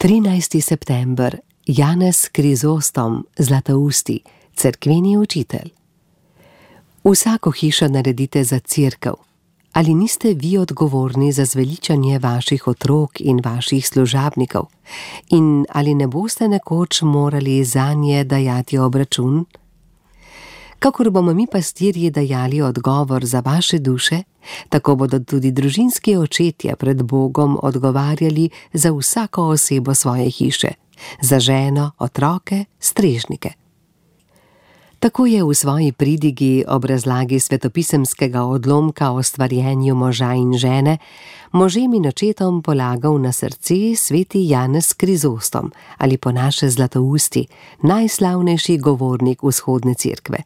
13. september, Janez Krizostom, Zlatousti, cerkveni učitelj. Vsako hišo naredite za cerkev. Ali niste vi odgovorni za zveličanje vaših otrok in vaših služabnikov? In ali ne boste nekoč morali zanje dajati obračun? Kakor bomo mi pastirji dajali odgovor za vaše duše, tako bodo tudi družinski očetje pred Bogom odgovarjali za vsako osebo svoje hiše, za ženo, otroke, strežnike. Tako je v svoji pridigi ob razlagi svetopisemskega odlomka o stvarjenju moža in žene možem in očetom polagal na srce sveti Janez Krizostom, ali po naše Zlatousti, najslavnejši govornik vzhodne cerkve.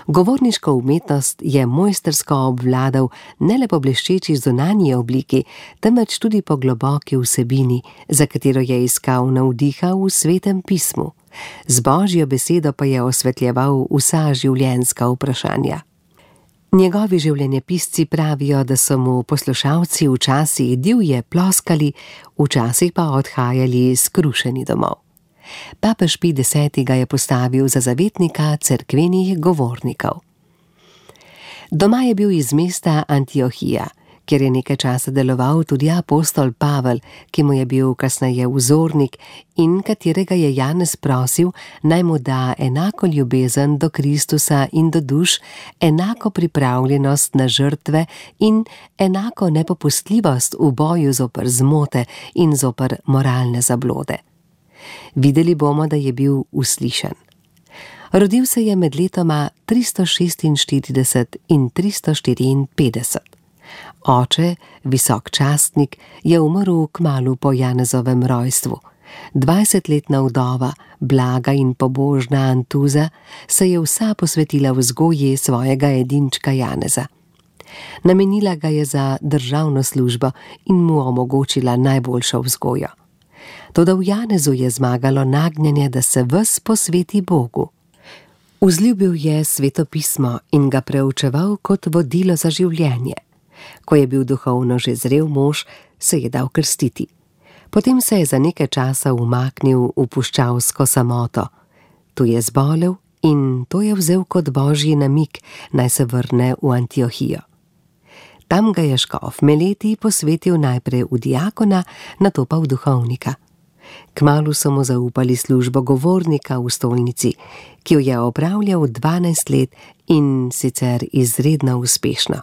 Govorniško umetnost je mojstrsko obvladal ne le po bleščeči zunanji obliki, temveč tudi po globoki vsebini, za katero je iskal navdiha v Svetem pismu. Z Božjo besedo pa je osvetljeval vsa življenjska vprašanja. Njegovi življenjepisci pravijo, da so mu poslušalci včasih divje ploskali, včasih pa odhajali skrušeni domov. Papež Pij X. ga je postavil za zavetnika cerkvenih govornikov. Doma je bil iz mesta Antiohija, kjer je nekaj časa deloval tudi apostol Pavel, ki mu je bil kasneje vzornik in katerega je Janez prosil, naj mu da enako ljubezen do Kristusa in do duš, enako pripravljenost na žrtve in enako nepopustljivost v boju zoper zmote in zoper moralne zablode. Videli bomo, da je bil uslišan. Rodil se je med letoma 346 in 354. Oče, visok častnik, je umrl kmalu po Janezovem rojstvu. 20-letna vdova, blaga in pobožna Antuza, se je vsa posvetila vzgoji svojega edinčka Janeza. Namenila ga je za državno službo in mu omogočila najboljšo vzgojo. Toda v Janezu je zmagalo nagnjenje, da se ves posveti Bogu. Vzljubil je Sveto pismo in ga preučeval kot vodilo za življenje. Ko je bil duhovno že zrel mož, se je dal krstiti. Potem se je za nekaj časa umaknil v puščavsko samoto. Tu je zbolel in to je vzel kot božji namig, naj se vrne v Antiohijo. Tam ga je škof Meleti posvetil najprej v diakona, nato pa v duhovnika. Kmalu so mu zaupali službo govornika v stolnici, ki jo je opravljal 12 let in sicer izredno uspešno.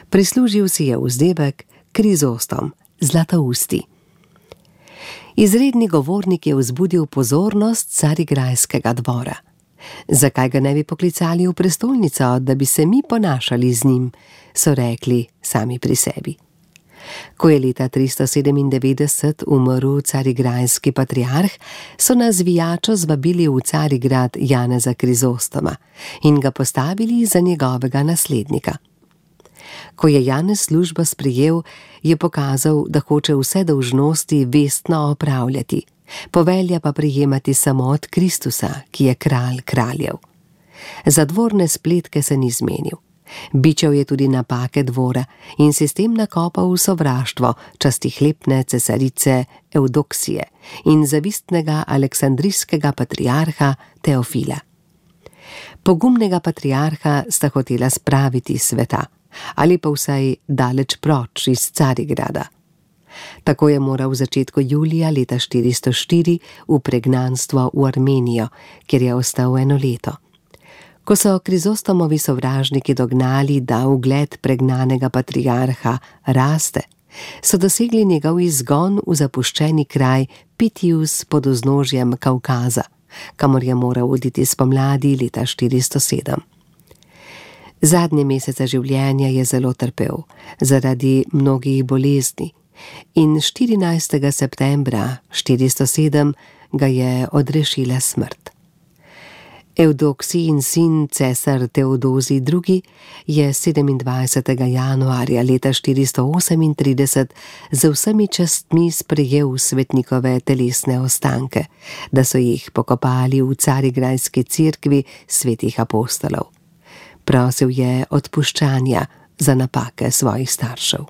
Prislužil si je vzdevek Krizostom, Zlatousti. Izredni govornik je vzbudil pozornost carigrajskega dvora. Zakaj ga ne bi poklicali v prestolnico, da bi se mi ponašali z njim, so rekli sami pri sebi. Ko je leta 397 umrl carigrajski patriarh, so na zvijačo zvabili v Carigrad Janeza Krizostoma in ga postavili za njegovega naslednika. Ko je Janez službo sprejel, je pokazal, da hoče vse dolžnosti vestno opravljati, povelja pa prejemati samo od Kristusa, ki je kralj kraljev. Za dvorne spletke se ni zmenil. Bičal je tudi napake dvora in si s tem nakopal v sovraštvo častihlepne cesarice Evdoksije in zavistnega aleksandrijskega patriarha Teofila. Pogumnega patriarha sta hotela spraviti s sveta, ali pa vsaj daleč proč iz Carigrada. Tako je moral v začetku julija leta 404 v pregnanstvo v Armenijo, kjer je ostal 1 leto. Ko so Krizostomovi sovražniki dognali, da ugled pregnanega patriarha raste, so dosegli njegov izgon v zapuščeni kraj Pitius pod vznožjem Kavkaza, kamor je moral oditi spomladi leta 407. Zadnje mesece življenja je zelo trpel zaradi mnogih bolezni in 14. septembra 407 ga je odrešila smrt. Evdoksijin sin cesar Teodozij II. Je 27. januarja leta 438 z vsemi častmi sprejel svetnikove telesne ostanke, da so jih pokopali v Carigrajski cerkvi svetih apostolov. Prosil je odpuščanja za napake svojih staršev.